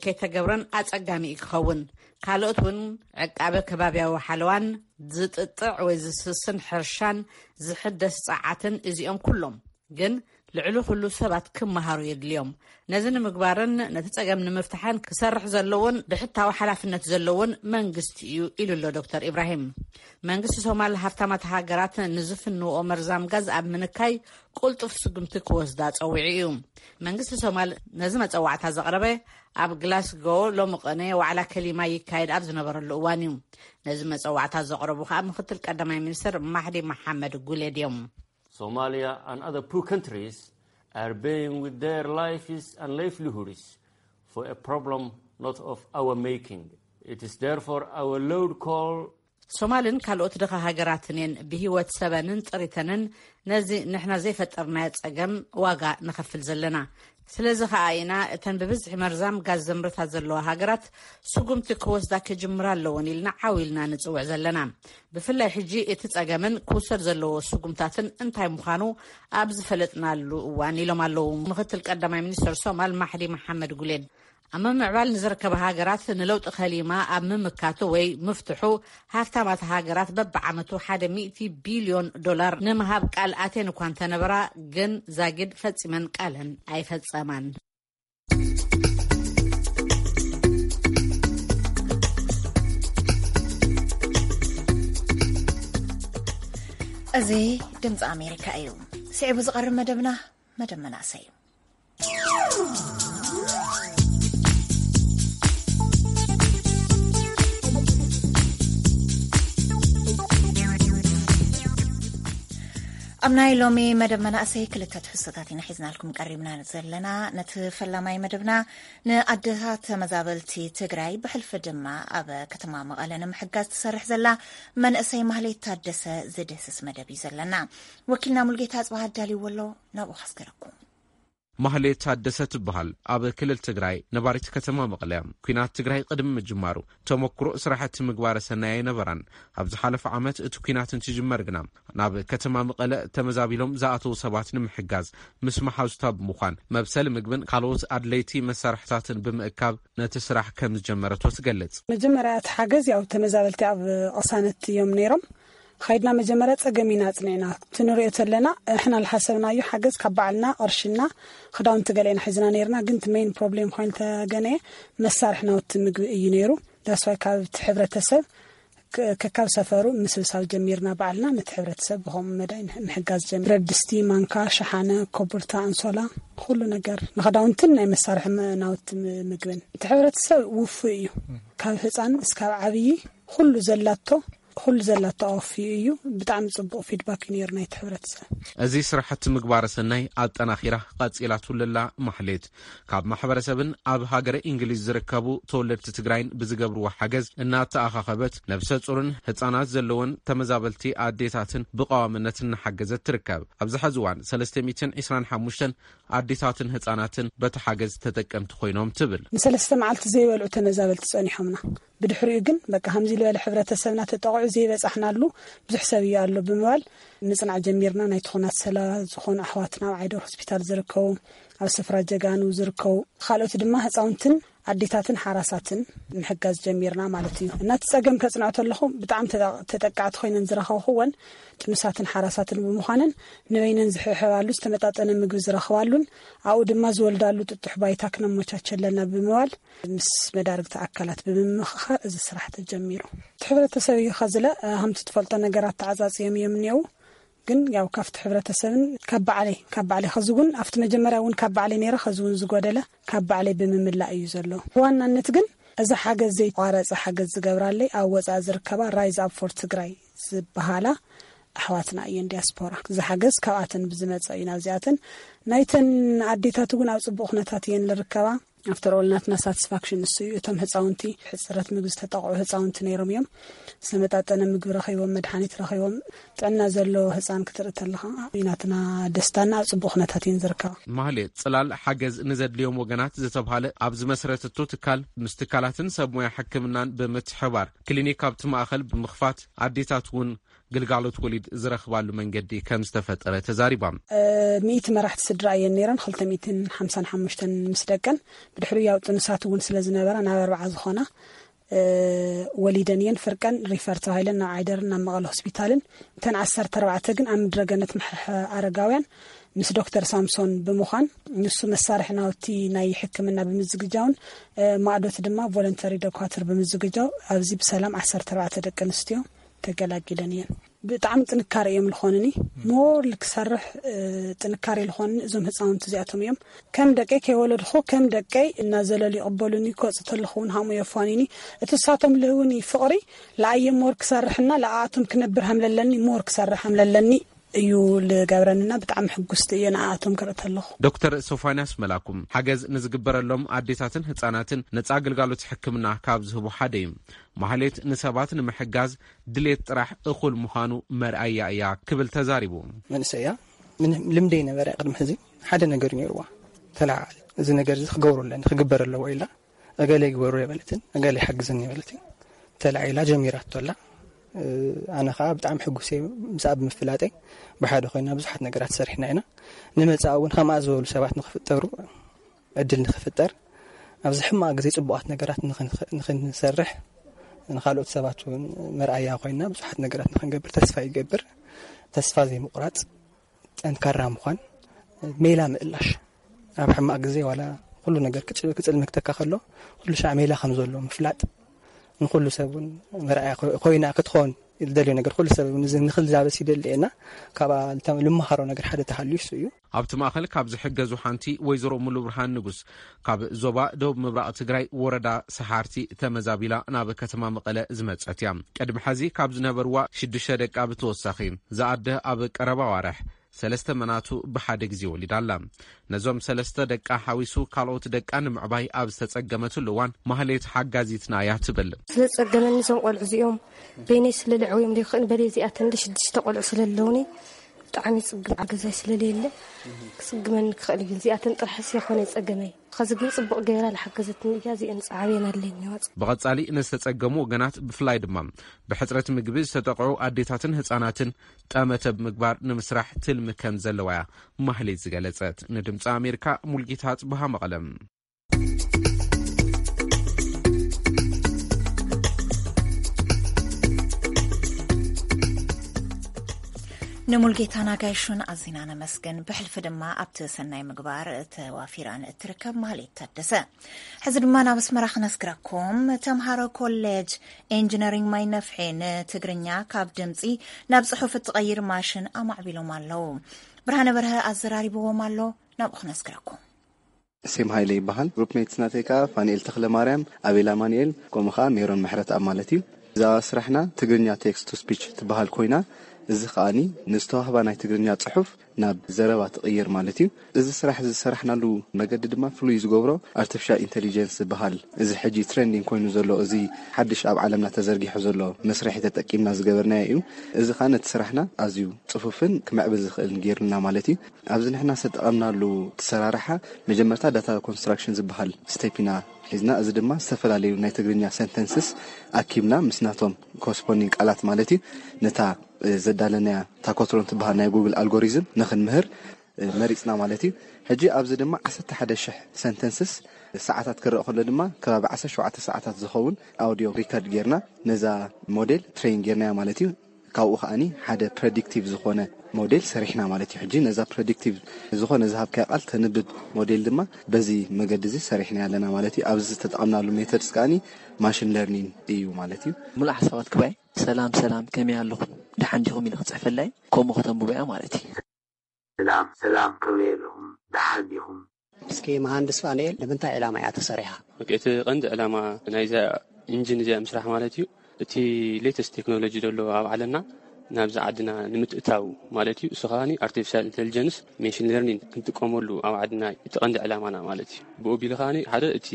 ከይተገብረን ኣጸጋሚ እዩ ክኸውን። ካልኦት እውን ዕቃበ ከባብያዊ ሓለዋን ዝጥጥዕ ወይ ዝስስን ሕርሻን ዝሕደስ ጸዓትን እዚኦም ኩሎም ግን ልዕሊ ኩሉ ሰባት ክመሃሩ የድልዮም። ነዚ ንምግባርን ነቲ ጸገም ንምፍታሕን ክሰርሕ ዘለዎን ብሕታዊ ሓላፍነት ዘለዎን መንግስቲ እዩ ኢሉ ኣሎ ዶክተር ኢብራሂም። መንግስቲ ሶማል ሃፍታማት ሃገራት ንዝፍንዎ መርዛም ጋዝ ኣብ ምንካይ ቁልጡፍ ስጉምቲ ክወስዳ ጸዊዑ እዩ። መንግስቲ ሶማል ነዚ መጸዋዕታ ዘቕረበ ኣብ ግላስጎ ሎሚ ቅነ ዋዕላ ከሊማ ይካየድ ኣብ ዝነበረሉ እዋን እዩ። ነዚ መጸዋዕታ ዘቕረቡ ከኣ ምክትል ቀዳማይ ሚኒስትር ማሕዲ መሓመድ ጉሌድ እዮም። Somalia and other poor countries are paying with their lives and livelihoods for a problem not of our making. It is therefore our loud call. ሶማልን ካልኦት ድኻ ሃገራትን እየን ብህይወት ሰበንን ጥሪተንን ነዚ ንሕና ዘይፈጠርናዮ ጸገም ዋጋ ንኸፍል ዘለና። ስለዚ ኸኣ ኢና እተን ብብዝሒ መርዛም ጋዝ ዘምርታ ዘለዋ ሃገራት ስጉምቲ ክወስዳ ክጅምራ ኣለወን ኢልና ዓው ኢልና ንጽውዕ ዘለና። ብፍላይ ሕጂ እቲ ጸገምን ክውሰድ ዘለዎ ስጉምታትን እንታይ ምዃኑ ኣብ ዝፈለጥናሉ እዋን ኢሎም ኣለዉ ምክትል ቀዳማይ ሚኒስትር ሶማል ማሕዲ መሓመድ ጉሌድ። ኣብ ምምዕባል ንዝርከባ ሃገራት ንለውጢ ከሊማ ኣብ ምምካቱ ወይ ምፍትሑ፣ ሃፍታማት ሃገራት በብዓመቱ ሓደ ሚእቲ ቢልዮን ዶላር ንምሃብ ቃል ኣቴን እኳ እንተነበራ፣ ግን ዛጊድ ፈጺመን ቃለን ኣይፈጸማን። እዚ ድምፂ ኣሜሪካ እዩ። ስዒቡ ዝቐርብ መደብና መደብ መናእሰይ እዩ። ኣብ ናይ ሎሚ መደብ መናእሰይ ክልተ ትሕዝቶታት ኢና ሒዝናልኩም ቀሪብና ዘለና። ነቲ ፈላማይ መደብና፣ ንኣደታት ተመዛበልቲ ትግራይ፣ ብሕልፊ ድማ ኣብ ከተማ መቐለ ንምሕጋዝ ትሰርሕ ዘላ መንእሰይ ማህሌት ታደሰ ዝድህስስ መደብ እዩ ዘለና። ወኪልና ሙልጌታ ኣጽብሃ ኣዳልይዎ ኣሎ፣ ናብኡ ከስግረኩም። ማህሌት ታደሰ ትበሃል። ኣብ ክልል ትግራይ ነባሪት ከተማ መቐለ እያ። ኲናት ትግራይ ቅድሚ ምጅማሩ ተመኩሮ ስራሕቲ ምግባረ ሰናይ ኣይነበራን። ኣብ ዝሓለፈ ዓመት እቲ ኲናት እንትጅመር ግና ናብ ከተማ መቐለ ተመዛቢሎም ዝኣተዉ ሰባት ንምሕጋዝ ምስ መሓዙታ ብምዃን መብሰሊ ምግብን ካልኦት ኣድለይቲ መሳርሕታትን ብምእካብ ነቲ ስራሕ ከም ዝጀመረቶ ትገልጽ። መጀመርያ እቲ ሓገዝ ያው ተመዛበልቲ ኣብ ቅሳነት እዮም ነይሮም። ኻይድና መጀመርያ ጸገም ኢና ኣጽኒዕና። እቲ ንሪኦ ዘለና ንሕና ዝሓሰብናዮ ሓገዝ ካብ ባዕልና ቅርሽና ክዳውንቲ ገለ ኢና ሒዝና ነይርና፣ ግን እቲ ሜን ፕሮብሌም ኮይኑ ተገነየ መሳርሒ ናውቲ ምግቢ እዩ ነይሩ። ዳስዋይ ካብ እቲ ሕብረተሰብ ክ- ከካብ ሰፈሩ ምስብሳብ ጀሚርና ባዕልና ነቲ ሕብረተሰብ ብኸምኡ መዳይ ንሕ- ምሕጋዝ ጀሚር። ብረት ድስቲ፣ ማንካ፣ ሸሓነ፣ ኮቡርታ፣ ኣንሶላ፣ ኩሉ ነገር ንኽዳውንትን ናይ መሳርሒ መ- ናውቲ ም- ምግብን። እቲ ሕብረተሰብ ውፉይ እዩ። ካብ ህፃን እስካብ ዓብዪ ኩሉ ዘላቶ ኩሉ ዘላቶ ኣወፍዩ እዩ። ብጣዕሚ ፅቡቕ ፊድባክ እዩ ነይሩ ናይቲ ሕብረተሰብ። እዚ ስራሕቲ ምግባረ ሰናይ ኣጠናኺራ ቀፂላትሉ ኣላ ማሕሌት። ካብ ማሕበረሰብን ኣብ ሃገረ እንግሊዝ ዝርከቡ ተወለድቲ ትግራይን ብዝገብርዎ ሓገዝ እናተኣኻኸበት፣ ነብሰ ፁርን ህፃናት ዘለወን ተመዛበልቲ ኣዴታትን ብቐዋምነት እናሓገዘት ትርከብ። ኣብዚ ሕዚ እዋን ሰለስተ ሚእትን ዕስራን ሓሙሽተን ኣዴታትን ህፃናትን በቲ ሓገዝ ተጠቀምቲ ኮይኖም ትብል። ንሰለስተ መዓልቲ ዘይበልዑ ተመዛበልቲ ጸኒሖምና። ብድሕሪኡ ግን በቃ ከምዚ ዝበለ ሕብረተሰብና ተጠቕዑ ዘይበጻሕናሉ ብዙሕ ሰብ እዩ ኣሎ ብምባል ምጽናዕ ጀሚርና። ናይ ትኹናት ሰለባ ዝኾኑ ኣሕዋትና ኣብ ዓይደር ሆስፒታል ዝርከቡ፣ ኣብ ስፍራ ጀጋኑ ዝርከቡ፣ ካልኦት ድማ ህፃውንትን ኣዴታትን ሓራሳትን ምሕጋዝ ጀሚርና ማለት እዩ። እና እቲ ጸገም ከጽንዖ ተለኹ ብጣዕሚ ተጠ- ተጠቃዕቲ ኮይነን ዝረኸብኩወን ጥኑሳትን ሓራሳትን ብምዃነን ንበይነን ዝሕብሕባሉ ዝተመጣጠነ ምግቢ ዝረኽባሉን ኣብኡ ድማ ዝወልዳሉ ጥጡሕ ባይታ ክነመቻቸለና ብምባል ምስ መዳርግቲ ኣካላት ብምምኽኻር እዚ ስራሕ ተጀሚሩ። እቲ ሕብረተሰብ እዩ ኸዝለ ከምቲ ትፈልጦ ነገራት ተዓፃፅዮም እዮም እኒአው። ግን ያው ካብቲ ሕብረተሰብን ካብ ባዕለይ ካብ ባዕለይ ኸዚ እውን ኣብቲ መጀመርያ እውን ካብ ባዕለይ ነይረ ኸዚ እውን ዝጎደለ ካብ ባዕለይ ብምምላእ እዩ ዘሎ። ብዋናነት ግን እዚ ሓገዝ ዘይቋረፀ ሓገዝ ዝገብራለይ ኣብ ወፃኢ ዝርከባ ራይዝ ኣብ ፎር ትግራይ ዝበሃላ ኣሕዋትና እየን ዲያስፖራ። እዚ ሓገዝ ካብኣተን ብዝመፀ እዩ ናብዚኣተን። ናይተን ኣዴታት እውን ኣብ ፅቡቕ ኩነታት እየን ዝርከባ። ኣፍተር ኦል ናትና ሳቲስፋክሽን እሱ እዩ። እቶም ህፃውንቲ ሕፅረት ምግቢ ዝተጠቕዑ ህፃውንቲ ነይሮም እዮም። ዝተመጣጠነ ምግቢ ረኺቦም፣ መድሓኒት ረኺቦም፣ ጥዕና ዘለዎ ህፃን ክትርኢ ተለኻ እዩ ናትና ደስታና። ኣብ ፅቡቕ ኩነታት እየን ዝርከባ። ማህሌት ፅላል ሓገዝ ንዘድልዮም ወገናት ዝተብሃለ ኣብ ዝመስረተቶ ትካል ምስ ትካላትን ሰብ ሞያ ሕክምናን ብምትሕባር ክሊኒክ ኣብቲ ማእኸል ብምኽፋት ኣዴታት እውን ግልጋሎት ወሊድ ዝረኽባሉ መንገዲ ከም ዝተፈጠረ ተዛሪባ። ሚእቲ መራሕቲ ስድራ እየን ነይረን፣ ክልተ ሚእትን ሓምሳን ሓሙሽተን ምስ ደቀን። ብድሕሪኡ ያው ጥኑሳት እውን ስለ ዝነበራ ናብ ኣርባዓ ዝኾና ወሊደን እየን። ፍርቀን ሪፈር ተባሂለን ናብ ዓይደርን ናብ መቐለ ሆስፒታልን፣ እተን ዓሰርተ ኣርባዕተ ግን ኣብ ምድረገነት መሕርሒ ኣረጋውያን ምስ ዶክተር ሳምሶን ብምዃን፣ ንሱ መሳርሒ ናውቲ ናይ ሕክምና ብምዝግጃውን ማእዶት ድማ ቮለንተሪ ዶኳትር ብምዝግጃው ኣብዚ ብሰላም ዓሰርተ ኣርባዕተ ደቂ ኣንስትዮ ተገላጊለን እየን። ብጣዕሚ ጥንካሬ እዮም ዝኾንኒ። ሞር ልክሰርሕ ጥንካሬ ዝኾንኒ እዞም ህፃውንቲ እዚኣቶም እዮም። ከም ደቀይ ከይወለድኹ ከም ደቀይ እናዘለሉ ይቕበሉኒ። ክወፅ ተለኹ እውን ሃሙ የፋንዩኒ። እቲ እሳቶም ልህውኒ ፍቕሪ ለኣየ ሞር ክሰርሕና ለኣኣቶም ክነብር ሃምለለኒ ሞር ክሰርሕ ሃምለለኒ እዩ ልገብረንና። ብጣዕሚ ሕጉስቲ እየ ንኣኣቶም ክርኢ ተለኹ። ዶክተር ሶፋንያስ መላኩም ሓገዝ ንዝግበረሎም ኣዴታትን ህፃናትን ነፃ ኣገልጋሎት ሕክምና ካብ ዝህቡ ሓደ እዩ። ማህሌት ንሰባት ንምሕጋዝ ድሌት ጥራሕ እኹል ምዃኑ መርኣያ እያ ክብል ተዛሪቡ። መንእሰይ እያ። ምን- ልምደይ ነበረ ቅድሚ ሕዚ ሓደ ነገር ነይርዋ። ተለዓል እዚ ነገር እዚ ክገብሮ ኣለኒ ክግበር ኣለዎ ኢላ እገለ ይግበሩ የበለትን እገለ ይሓግዝን የበለትን ተላዒላ ጀሚራቶ ኣላ። ኣነ ከዓ ብጣዕሚ ሕጉስ እየ ምስኣ ብምፍላጠይ። ብሓደ ኮይና ብዙሓት ነገራት ሰሪሕና ኢና። ንመፃእ እውን ከምኣ ዝበሉ ሰባት ንክፍጠሩ ዕድል ንክፍጠር ኣብዚ ሕማቕ ግዜ ጽቡቓት ነገራት ንኽንሰርሕ፣ ንኻልኦት ሰባት እውን መርኣያ ኮይና ብዙሓት ነገራት ንኽንገብር ተስፋ ይገብር። ተስፋ ዘይምቑራጽ፣ ጠንካራ ምዃን፣ ሜላ ምእላሽ፣ ኣብ ሕማቕ ግዜ ዋላ ኩሉ ነገር ክጽልምክተካ ከሎ ኩሉ ሻዕ ሜላ ከም ዘሎ ምፍላጥ፣ ንኹሉ ሰብ እውን መርኣያ ኮይና ክትኾን ዝደልዮ ነገር ኩሉ ሰብ እውን ንኽላበስ ይደሊ እና ካብኣ ልመሃሮ ነገር ሓደ ተሃልዩ እሱ እዩ። ኣብቲ ማእኸል ካብ ዝሕገዙ ሓንቲ ወይዘሮ ሙሉ ብርሃን ንጉስ ካብ ዞባ ደቡብ ምብራቕ ትግራይ ወረዳ ሰሓርቲ ተመዛቢላ ናብ ከተማ መቐለ ዝመጸት እያ። ቅድሚ ሐዚ ካብ ዝነበርዋ ሽዱሽተ ደቃ ብተወሳኺ ዝኣደ ኣብ ቀረባ ዋርሕ ሰለስተ መናቱ ብሓደ ግዜ ወሊዳ ኣላ። ነዞም ሰለስተ ደቃ ሓዊሱ ካልኦት ደቃ ንምዕባይ ኣብ ዝተጸገመትሉ እዋን ማህሌት ሓጋዚትና እያ ትብል። ስለጸገመኒ እዞም ቆልዑ እዚኦም በይነይ ስለልዕወዮም ዘይክእል በለ እዚኣተን ሽዱሽተ ቆልዑ ስለለውኒ ብጣዕሚ ጽግም ሓገዛይ ስለለየለ ክስግመኒ ክኽእል እዩ። እዚኣተን ጥራሕስ የኾነ ጸገመይ። ኸዚ ግን ጽቡቕ ገይራ ዝሓገዘትኒ እያ። እዚአን ጸዓብየን ኣለኝ ዋጽ ብቐጻሊ ንዝተጸገሙ ወገናት ብፍላይ ድማ ብሕጽረት ምግቢ ዝተጠቕዑ ኣዴታትን ህጻናትን ጠመተ ብምግባር ንምስራሕ ትልሚ ከም ዘለዋ እያ ማህሌት ዝገለጸት። ንድምፂ ኣሜሪካ ሙልጌታ ጽብሃ መቐለም። ንሙልጌታ ናጋይሹን ኣዚና ነመስግን። ብሕልፊ ድማ ኣብቲ ሰናይ ምግባር ተዋፊራን እትርከብ ማህሌት ታደሰ። ሕዚ ድማ ናብ ኣስመራ ክነስግረኩም። ተምሃሮ ኮሌጅ ኢንጂነሪንግ ማይ ነፍሒ ንትግርኛ ካብ ድምፂ ናብ ፅሑፍ እትቐይር ማሽን ኣማዕቢሎም ኣለዉ። ብርሃነ በርሀ ኣዘራሪብዎም ኣሎ። ናብኡ ክነስግረኩም። ሴም ሃይለ ይበሃል። ግሩፕ ሜትስ ናተይ ከዓ ፋንኤል ተኽለ ማርያም፣ ኣቤል ኣማንኤል፣ ከምኡ ከዓ ሜሮን ምሕረት ኣብ ማለት እዩ። እዛ ስራሕና ትግርኛ ቴክስት ቱ ስፒች ትበሃል ኮይና፣ እዚ ከዓኒ ንዝተዋህባ ናይ ትግርኛ ጽሑፍ ናብ ዘረባ ትቕይር ማለት እዩ። እዚ ስራሕ እዚ ዝሰራሕናሉ መገዲ ድማ ፍሉይ ዝገብሮ ኣርቲፊሻል ኢንቴሊጀንስ ዝበሃል፣ እዚ ሕጂ ትሬንዲንግ ኮይኑ ዘሎ፣ እዚ ሓድሽ ኣብ ዓለምና ተዘርጊሑ ዘሎ መስርሒ ተጠቂምና ዝገበርናዮ እዩ። እዚ ከዓ ነቲ ስራሕና ኣዝዩ ጽፉፍን ክምዕብል ዝኽእልን ገይሩና ማለት እዩ። ኣብዚ ንሕና ዝተጠቐምናሉ ትሰራርሓ መጀመርታ ዳታ ኮንስትራክሽን ዝበሃል ስቴፕ ኢና ሒዝና። እዚ ድማ ዝተፈላለዩ ናይ ትግርኛ ሰንተንስስ ኣኪብና ምስ ናቶም ኮስፖንዲንግ ቃላት ማለት እዩ ነታ ዘዳለናያ ታኮትሮን ትበሃል ናይ ጉግል ኣልጎሪዝም ንኽንምህር መሪፅና ማለት እዩ። ሕጂ ኣብዚ ድማ ዓሰርተ ሓደ ሽሕ ሰንተንስስ ሰዓታት ክረእ ከሎ ድማ ከባቢ ዓሰርተ ሸውዓተ ሰዓታት ዝኸውን ኣውዲዮ ሪከርድ ጌርና ነዛ ሞዴል ትሬን ጌርናያ ማለት እዩ። ካብኡ ከዓኒ ሓደ ፕረዲክቲቭ ዝኾነ ሞዴል ሰሪሕና ማለት እዩ። ሕጂ ነዛ ፕረዲክቲቭ ዝኾነ ዝሃብካያ ቃል ተንብብ ሞዴል ድማ በዚ መገዲ እዚ ሰሪሕና ኣለና ማለት እዩ። ኣብዚ ዝተጠቐምናሉ ሜተድስ ከዓኒ ማሽን ለርኒንግ እዩ ማለት እዩ። ሙሉእ ሓሳባት ክባይ ሰላም ሰላም ከመይ ኣለኹም ደሓን ዲኹም ኢለ ክፅሕፈላይ ከምኡ ከተንብቦ እያ ማለት እዩ። ሰላም ሰላም ከመይ ኣለኹም ደሓን ዲኹም? እስኪ መሃንድስ ፋንኤል ንምንታይ ዕላማ እያ ተሰሪሓ? ኦኬ፣ እቲ ቀንዲ ዕላማ ናይዛ ኢንጂን እዚኣ ምስራሕ ማለት እዩ እቲ ሌተስት ቴክኖሎጂ ዘሎ ኣብ ዓለምና ናብዚ ዓድና ንምትእታው ማለት እዩ። እሱ ከዓኒ ኣርቲፊሻል ኢንቴሊጀንስ ሜሽን ሌርኒንግ ክንጥቀመሉ ኣብ ዓድና እቲ ቀንዲ ዕላማና ማለት እዩ። ብኡ ቢሉ ከዓኒ ሓደ እቲ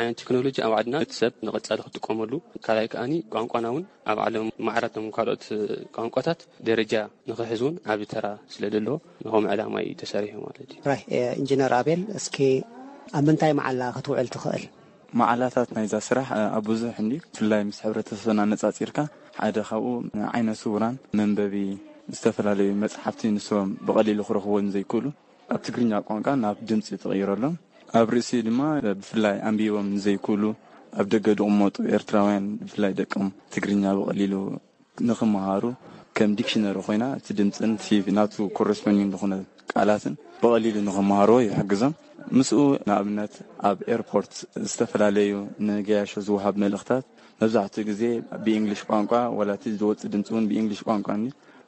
ዓይነት ቴክኖሎጂ ኣብ ዓድና እቲ ሰብ ንቐጻሊ ክጥቀመሉ፣ ካልኣይ ከዓኒ ቋንቋና እውን ኣብ ዓለም ማዕረ እቶም ካልኦት ቋንቋታት ደረጃ ንኽሕዝ እውን ዓቢ ተራ ስለ ዘለዎ ንኸምኡ ዕላማ እዩ ተሰሪሑ ማለት እዩ። ራይ ኢንጂነር ኣቤል፣ እስኪ ኣብ ምንታይ መዓላ ክትውዕል ትኽእል? መዓላታት ናይዛ ስራሕ ኣብ ብዙሕ እንዲ ብፍላይ ምስ ሕብረተሰብና ኣነጻጺርካ ሓደ ካብኡ ንዓይነ ስውራን መንበቢ ዝተፈላለዩ መጽሓፍቲ ንሶም ብቐሊሉ ክረኽብዎ ንዘይክእሉ ኣብ ትግርኛ ቋንቋ ናብ ድምፂ ትቕይረሎም። ኣብ ርእሲ ድማ ብፍላይ ኣንቢቦም ንዘይክእሉ ኣብ ደገ ዝቕመጡ ኤርትራውያን ብፍላይ ደቆም ትግርኛ ብቐሊሉ ንኽመሃሩ ከም ዲክሽነሪ ኮይና እቲ ድምፅን እቲ ናቱ ኮረስፖንዲንግ ዝኾነ ቃላትን ብቐሊሉ ንኽመሃርዎ ይሕግዞም። ምስኡ ንኣብነት ኣብ ኤርፖርት ዝተፈላለዩ ንገያሾ ዝወሃብ መልእኽታት መብዛሕትኡ ግዜ ብእንግሊሽ ቋንቋ ዋላ እቲ ዝወፅእ ድምፂ እውን ብእንግሊሽ ቋንቋ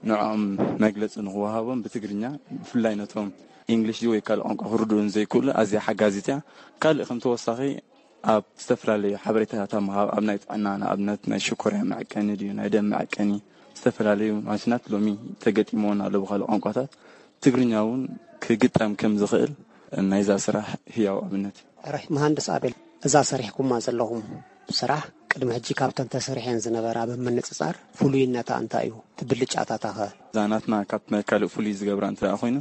ንዕኦም መግለፂ ንኽወሃቦም ብትግርኛ ብፍላይ ነቶም እንግሊሽ ወይ ካልእ ቋንቋ ክርድኡ ንዘይክእሉ ኣዝያ ሓጋዚት እያ። ካልእ ከም ተወሳኺ ኣብ ዝተፈላለዩ ሓበሬታታት ኣብ ምሃብ ኣብ ናይ ጥዕና ንኣብነት ናይ ሽኮርያ መዐቀኒ ድዩ ናይ ደም መዐቀኒ ዝተፈላለዩ ማሽናት ሎሚ ተገጢሞን ኣሎ ብካልእ ቋንቋታት ትግርኛ እውን ክግጠም ከም ዝኽእል ናይዛ ስራሕ ህያው ኣብነት እዩ። ራይ መሃንድስ ኣቤል እዛ ሰሪሕኩማ ዘለኹም ስራሕ ቅድሚ ሕጂ ካብተን ተሰሪሐን ዝነበራ ብምንፅፃር ፍሉይነታ እንታይ እዩ? እቲ ብልጫታታ ኸ? እዛ ናትና ካብ ናይ ካልእ ፍሉይ ዝገብራ እንተ ደኣ ኮይኑ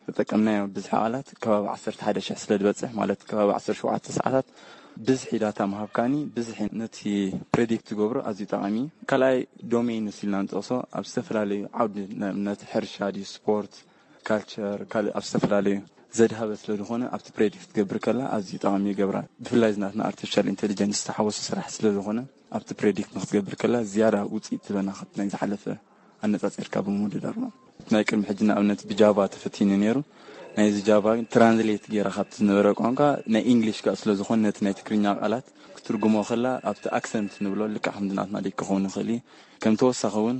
ተጠቀምናዮ ብዝሒ ቃላት ከባቢ ዓሰርተ ሓደ ሽሕ ስለ ዝበፅሕ ማለት ከባቢ ዓሰርተ ሸውዓተ ሰዓታት ብዝሒ ዳታ ምሃብ ከኣኒ ብዝሒ ነቲ ፕሬዲክት ትገብሮ ኣዝዩ ጠቓሚ እዩ። ካልኣይ ዶሜይን ንሱ ኢልና ንጠቕሶ ኣብ ዝተፈላለዩ ዓውዲ ንኣብነት ሕርሻ ድዩ ስፖርት ካልቸር ካልእ ኣብ ዝተፈላለዩ ዘድሃበ ስለ ዝኾነ ኣብቲ ፕሬዲክት ክትገብር ከላ ኣዝዩ ጠቓሚ ይገብራ። ብፍላይ ዝናትና ኣርቲፊሻል ኢንቴሊጀንስ ዝተሓወሱ ስራሕ ስለ ዝኾነ ኣብቲ ፕሬዲክት ንክትገብር ከላ ዝያዳ ውፅኢት ትበና ካብቲ ናይ ዝሓለፈ ኣነፃፂርካ ብምውድዳር ማለት። ናይ ቅድሚ ሕጂ ንኣብነት ብጃቫ ተፈቲኑ ነይሩ። ናይዚ ጃቫ ትራንስሌት ገይራ ካብቲ ዝነበረ ቋንቋ ናይ ኢንግሊሽ ከኣ ስለ ዝኾነ ነቲ ናይ ትግርኛ ቃላት ክትርጉሞ ከላ ኣብቲ ኣክሰንት ንብሎ ልክዕ ከምዚ ናትና ደይ ክኸውን ይኽእል እዩ። ከም ተወሳኺ እውን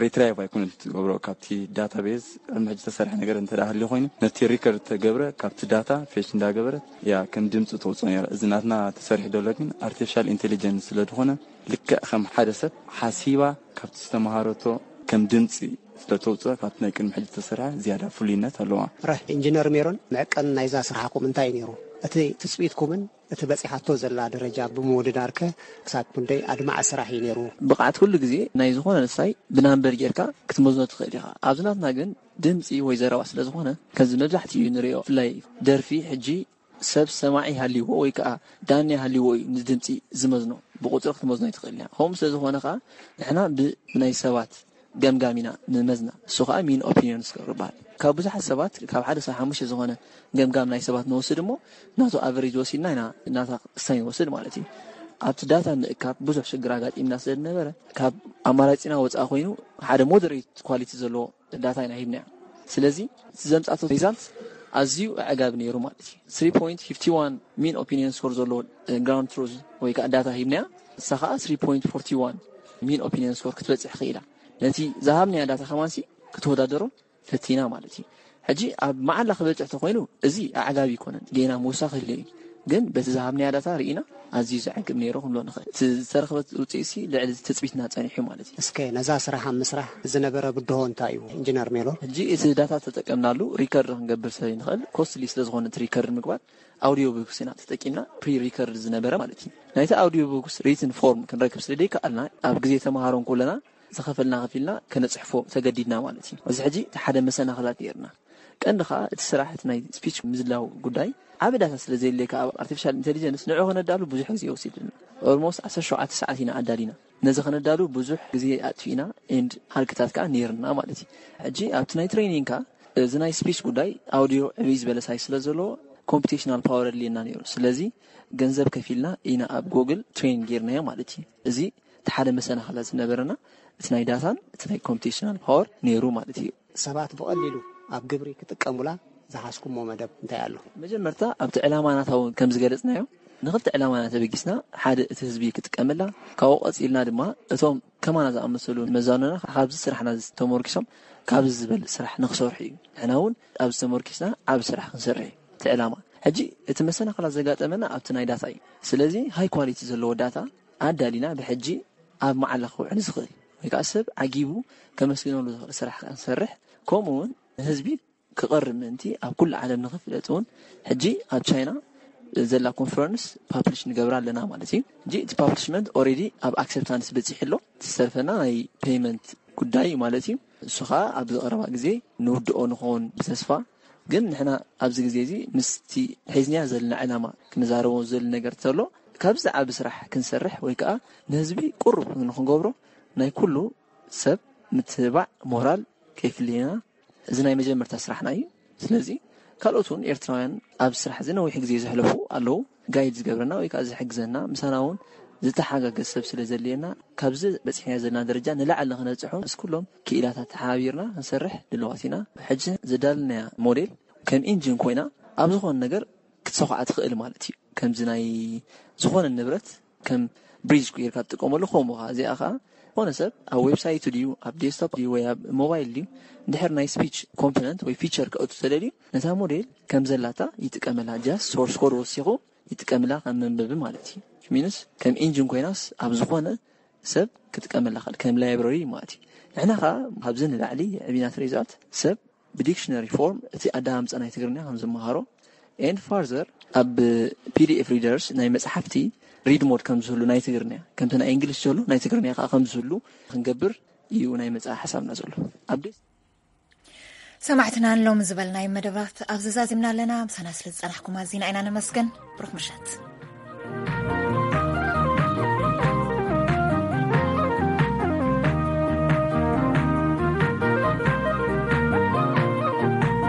ሪትራይቭ ኣይኮነ ትገብሮ ካብቲ ዳታቤዝ ቅድሚ ሕጂ ተሰርሐ ነገር እንተ ደኣ ሃልዩ ኮይኑ ነቲ ሪከርድ ተገብረ ካብቲ ዳታ ፌች እንዳገበረት እያ ከም ድምፂ ተውፅኦ ነይራ። እዚ ናትና ተሰሪሑ ዘሎ ግን ኣርቲፊሻል ኢንቴሊጀንስ ስለ ዝኾነ ልክዕ ከም ሓደ ሰብ ሓሲባ ካብቲ ዝተምሃረቶ ከም ድምፂ ስለ ተውፅኦ ካብቲ ናይ ቅድሚ ሕጂ ተሰርሐ ዝያዳ ፍሉይነት ኣለዋ። ረ ኢንጂነር ሜሮን፣ መዕቀን ናይዛ ስራሕኩም እንታይ እዩ ነይሩ? እቲ ትፅቢትኩምን እቲ በፂሓቶ ዘላ ደረጃ ብምውድዳርከ ክሳብ ክንደይ ኣድማዒ ስራሕ እዩ ነይሩ? ብቕዓት ኩሉ ግዜ ናይ ዝኾነ ንሳይ ብናምበር ጌርካ ክትመዝኖ ትኽእል ኢኻ። ኣብዚ ናትና ግን ድምፂ ወይ ዘረባ ስለ ዝኾነ ከምዚ መብዛሕትኡ ንሪኦ። ብፍላይ ደርፊ ሕጂ ሰብ ሰማዒ ሃልይዎ ወይ ከዓ ዳኛ ሃልይዎ እዩ ንድምፂ ዝመዝኖ። ብቁፅሪ ክትመዝኖ ኣይትኽእል እያ። ከምኡ ስለ ዝኾነ ከዓ ንሕና ብ- ብናይ ሰባት ገምጋም ኢና ንመዝና። እሱ ከዓ ሚን ኦፒኒዮን ስኮር ይበሃል። ካብ ብዙሓት ሰባት ካብ ሓደ ሳብ ሓሙሽተ ዝኾነ ገምጋም ናይ ሰባት ንወስድ እሞ ናቱ ኣቨሬጅ ወሲድና ኢና ናታ ክስታይ ንወስድ ማለት እዩ። ኣብቲ ዳታ ምእካብ ብዙሕ ሽግር ኣጋጢምና ስለ ዝነበረ ካብ ኣማራፂና ወፃኢ ኮይኑ ሓደ ሞደሬት ኳሊቲ ዘለዎ ዳታ ኢና ሂብናዮ። ስለዚ እቲ ዘምፃቶ ሪዛልት ኣዝዩ ኣዕጋቢ ነይሩ ማለት እዩ። ስሪ ፖይንት ፊፍቲ ዋን ሚን ኦፒኒየን ስኮር ዘለዎ ግራውንድ ትሩዝ ወይ ከዓ ዳታ ሂብናያ። እሳ ከዓ ስሪ ፖይንት ፎርቲ ዋን ሚን ኦፒኒየን ስኮር ክትበፅሕ ክኢላ። ነቲ ዝሃብናያ ዳታ ከማንሲ ክትወዳደሮ ፈቲና ማለት እዩ። ሕጂ ኣብ መዓላ ክበፅሕ ተኮይኑ እዚ ኣዕጋቢ ይኮነን፣ ጌና ምውሳ ክህልዮ እዩ። ግን በቲ ዝሃብናያ ዳታ ርኢና ኣዝዩ ዘዕግብ ነይሩ ክንብሎ ንኽእል። እቲ ዝተረኽበት ውፅኢትሲ ልዕሊ ትፅቢትና ፀኒሑ ማለት እዩ። እስከ ነዛ ስራሕ ኣብ ምስራሕ ዝነበረ ብድሆ እንታይ እዩ ኢንጂነር ሜሎን? ሕጂ እቲ ዳታ ተጠቀምናሉ ሪከርድ ክንገብር ስለ ንኽእል ኮስትሊ ስለ ዝኾነ እቲ ሪከርድ ምግባር ኣውዲዮ ቡክስ ኢና ተጠቂምና ፕሪ ሪከርድ ዝነበረ ማለት እዩ። ናይቲ ኣውዲዮ ቡክስ ሪትን ፎርም ክንረክብ ስለ ደይከኣልና ኣብ ግዜ ተምሃሮ እንኮለና ዝኸፈልና ከፊልና ከነፅሕፎ ተገዲድና ማለት እዩ። እዚ ሕጂ እቲ ሓደ መሰናኽላት ነይርና። ቀንዲ ከዓ እቲ ስራሕ እቲ ናይ ስፒች ምዝላው ጉዳይ ዓቢ ዳታ ስለ ዘየድልየካ ኣብ ኣርቲፊሻል ኢንቴሊጀንስ ንዑ ከነዳሉ ብዙሕ ግዜ ወሲድልና። ኦልሞስት ዓሰርተ ሸውዓተ ሰዓት ኢና ኣዳሊና። ነዚ ከነዳሉ ብዙሕ ግዜ ኣጥፊእና ኤንድ ሃልክታት ከዓ ነይርና ማለት እዩ። ሕጂ ኣብቲ ናይ ትሬኒንግ ከዓ እዚ ናይ ስፒች ጉዳይ ኣውዲዮ ዕብይ ዝበለ ሳይዝ ስለ ዘለዎ ኮምፒቴሽናል ፓወር ኣድልየና ነይሩ። ስለዚ ገንዘብ ከፊልና ኢና ኣብ ጎግል ትሬን ጌርናዮ ማለት እዩ። እዚ እቲ ሓደ መሰናኽላ ዝነበረና እቲ ናይ ዳታን እቲ ናይ ኮምፒቴሽናል ፓወር ነይሩ ማለት እዩ። ሰባት ብቐሊሉ ኣብ ግብሪ ክጥቀሙላ ዝሓዝኩሞ መደብ እንታይ ኣሎ? መጀመርታ ኣብቲ ዕላማ ናታ እውን ከም ዝገለጽናዮ ንኽልተ ዕላማ ኢና ተበጊስና። ሓደ እቲ ህዝቢ ክጥቀመላ፣ ካብኡ ቀጺልና ድማ እቶም ከማና ዝኣመሰሉ መዛኑና ካብዚ ስራሕና ተመርኪሶም ካብዚ ዝበልጽ ስራሕ ንኽሰርሑ እዩ። ንሕና እውን ኣብዚ ተመርኪስና ዓቢ ስራሕ ክንሰርሕ እዩ እቲ ዕላማ። ሕጂ እቲ መሰናኽላት ዘጋጠመና ኣብቲ ናይ ዳታ እዩ። ስለዚ ሃይ ኳሊቲ ዘለዎ ዳታ ኣዳሊና ብሕጂ ኣብ መዓላ ክውዕል ዝኽእል ወይ ከዓ ሰብ ዓጊቡ ከመስግነሉ ዝኽእል ስራሕ ክንሰርሕ፣ ከምኡ እውን ንህዝቢ ክቐርብ ምእንቲ ኣብ ኩሉ ዓለም ንኽፍለጥ እውን ሕጂ ኣብ ቻይና ዘላ ኮንፈረንስ ፓብሊሽ ንገብራ ኣለና ማለት እዩ። ሕጂ እቲ ፓብሊሽመንት ኦልሬዲ ኣብ ኣክሰፕታንስ በፂሑ ኣሎ። እቲ ዝተርፈና ናይ ፔይመንት ጉዳይ እዩ ማለት እዩ። እሱ ከዓ ኣብዚ ቀረባ ግዜ ንውድኦ ንኸውን ብተስፋ። ግን ንሕና ኣብዚ ግዜ እዚ ምስቲ ሒዝንያ ዘለና ዕላማ ክንዛረቦ ዝደሊ ነገር ተሎ ካብዚ ዓቢ ስራሕ ክንሰርሕ ወይ ከዓ ንህዝቢ ቅሩብ ንክንገብሮ ናይ ኩሉ ሰብ ምትብባዕ ሞራል ከይፍልየና። እዚ ናይ መጀመርታ ስራሕና እዩ። ስለዚ ካልኦት እውን ኤርትራውያን ኣብ ስራሕ እዚ ነዊሕ ግዜ ዘሕለፉ ኣለዉ። ጋይድ ዝገብረና ወይ ከዓ ዝሕግዘና ምሳና እውን ዝተሓጋገዝ ሰብ ስለ ዘድልየና ካብዚ በፂሕና ዘለና ደረጃ ንላዕሊ ንክነብፅሖ ምስ ኩሎም ክኢላታት ተሓባቢርና ክንሰርሕ ድልዋት ኢና። ሕጂ ዘዳለናያ ሞዴል ከም ኢንጂን ኮይና ኣብ ዝኾነ ነገር ክትሰኹዓ ትኽእል ማለት እዩ። ከምዚ ናይ ዝኾነ ንብረት ከም ብሪጅ ጌርካ ትጥቀመሉ ከምኡ ኸዓ እዚኣ ኸዓ ዝኾነ ሰብ ኣብ ዌብሳይቱ ድዩ ኣብ ዴስክቶፕ ድዩ ወይ ኣብ ሞባይል ድዩ እንድሕር ናይ ስፒች ኮምፖነንት ወይ ፊቸር ከእቱ ተደልዩ ነታ ሞዴል ከም ዘላታ ይጥቀመላ። ጃስት ሶርስ ኮድ ወሲኹ ይጥቀምላ ከም መንበቢ ማለት እዩ። ሚንስ ከም ኢንጂን ኮይናስ ኣብ ዝኾነ ሰብ ክጥቀመላ ኽእል ከም ላይብረሪ ማለት እዩ። ንሕና ኸዓ ካብዚ ንላዕሊ ዕብናት ሪዛልት ሰብ ብዲክሽነሪ ፎርም እቲ ኣዳሃምፃ ናይ ትግርኛ ከም ዝመሃሮ ኤንድ ፋርዘር ኣብ ፒዲኤፍ ሪደርስ ናይ መፅሓፍቲ ሪድ ሞድ ከም ዝህሉ ናይ ትግርኛ ከምቲ ናይ እንግሊሽ ዘሎ ናይ ትግርኛ ከዓ ከም ዝህሉ ክንገብር እዩ ናይ መፅኣ ሓሳብና ዘሎ። ኣብ ደስ ሰማዕትና ንሎሚ ዝበልናዮም መደባት ኣብዚ ዛዚምና ኣለና። ምሳና ስለ ዝጸናሕኩም ኣዚና ኢና ነመስግን። ብሩኽ ምሸት።